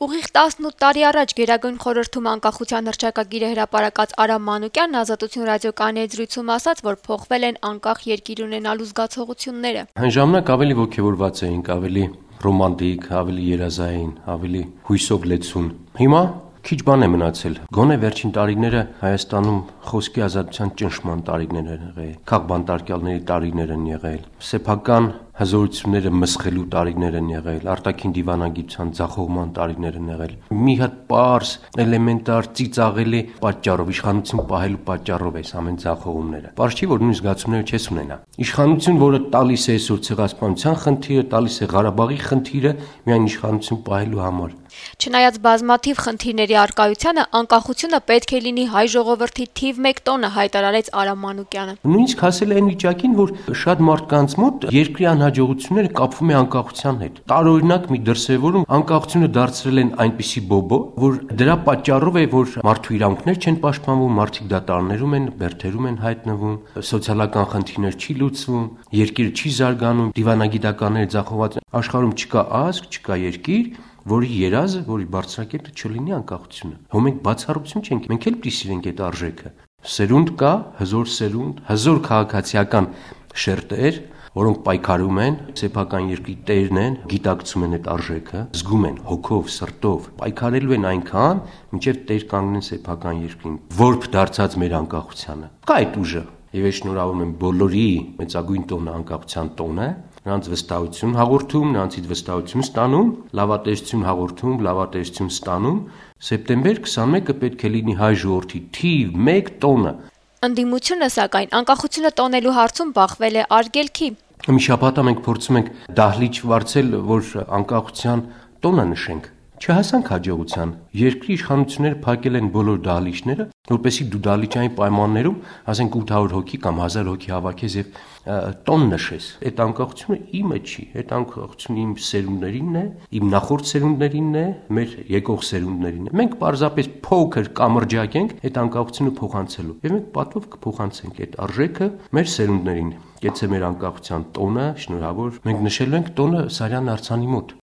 Ուղիղ 18 տարի առաջ Գերագույն խորհրդում անկախության հռչակագիրը հրապարակած Արամ Մանուկյանն Ազատություն ռադիոկայանի հետ զրույցում ասաց, որ փոխվել են անկախ երկիր ունենալու զգացողությունները։ Այն ժամանակ ավելի ոգևորված էինք, ավելի ռոմանտիկ, ավելի երազային, ավելի հույսով լեցուն։ Հիմա քիչ բան է մնացել։ Գոնե վերջին տարիները Հայաստանում խոսքի ազատության ճնշման տարիներ են եղել, քաղբանտարկյալների տարիներ են եղել, սեփական հզորությունները մսխելու տարիներ են եղել, արտաքին դիվանագիտության ձախողման տարիներ են եղել։ Մի հատ պարզ, էլեմենտար, ծիծաղելի պատճառով, իշխանություն պահելու պատճառով այս ամեն ձախողումները։ Պարզ չի, որ նույն զգացումները չես ունենա։ Իշխանություն, որը տալիս է այսօր ցեղասպանության խնդիրը, տալիս է Ղարաբաղի խնդիրը միայն իշխանություն պահելու համար։ Չնայած բազմաթիվ խնդիրների առկայությանը, անկախությունը պետք է լինի հայ ժողովրդի թիվ 1 տոնը, հայտարարեց Արամ Մանուկյանը։ Նույնիսկ հասել է այն վիճակին, որ շատ մարդկանց մոտ երկրի անհաջողությունները կապվում է անկախության հետ։ Տարօրինակ մի դրսևորում անկախությունը դարձրել են այնպիսի բոբո, որ դրա պատճառով է, որ մարդու իրավունքներ չեն պաշտպանվում, մարդիկ դատարաններում են, բերդերում են հայտնվում, սոցիալական խնդիրներ չի լուծվում, երկիրը չի զարգանում, դիվանագիտականները ձախողված են։ Աշխարհում չկա ազգ, չկա երկիր, որի երազը, որի բարձրակետը չլինի անկախությունը։ Հո մենք բացառություն չենք, մենք էլ պիտի սիրենք այդ արժեքը։ Սերունդ կա, հզոր սերունդ, հզոր քաղաքացիական շերտեր, որոնք պայքարում են, սեփական երկրի տերն են, գիտակցում են այդ արժեքը, զգում են հոգով, սրտով, պայքարելու են այնքան, մինչև տեր կանգնեն սեփական երկրին, որբ դարձած մեր անկախությանը։ Կա այդ ուժը։ Եվ ես շնորհավորում եմ բոլորի մեծագույն տոնը անկախության տոնը, նրանց վստահություն հաղորդում, նրանցից վստահություն ստանում, լավատեսություն հաղորդում, լավատեսություն ստանում։ Սեպտեմբեր 21-ը պետք է լինի հայ ժողովրդի թիվ 1 տոնը։ Ընդդիմությունը, սակայն, անկախությունը տոնելու հարցում բախվել է արգելքի։ Մի շաբաթ մենք փորձում ենք դահլիճ վարձել, որ անկախության տոնը նշենք։ Չհասանք հաջողության։ Երկրի իշխանությունները փակել են բոլոր դահլիճները, որպեսզի դու դահլիճային պայմաններում, ասենք 800 հոգի կամ 1000 հոգի հավաքես եւ տոն նշես։ Այդ անկախությունը իմը չի, այդ անկախությունը իմ սերունդներինն է, իմ նախորդ սերունդներինն է, մեր եկող սերունդներինն է։ Մենք պարզապես փոքր կամրջակ ենք այդ անկախությունը փոխանցելու։ Եվ մենք պատվով կփոխանցենք այդ արժեքը մեր սերունդներին։ Գեցե մեր անկախության տոնը, շնորհավոր, մենք նշելու ենք տոնը Սարյան արձանի մոտ։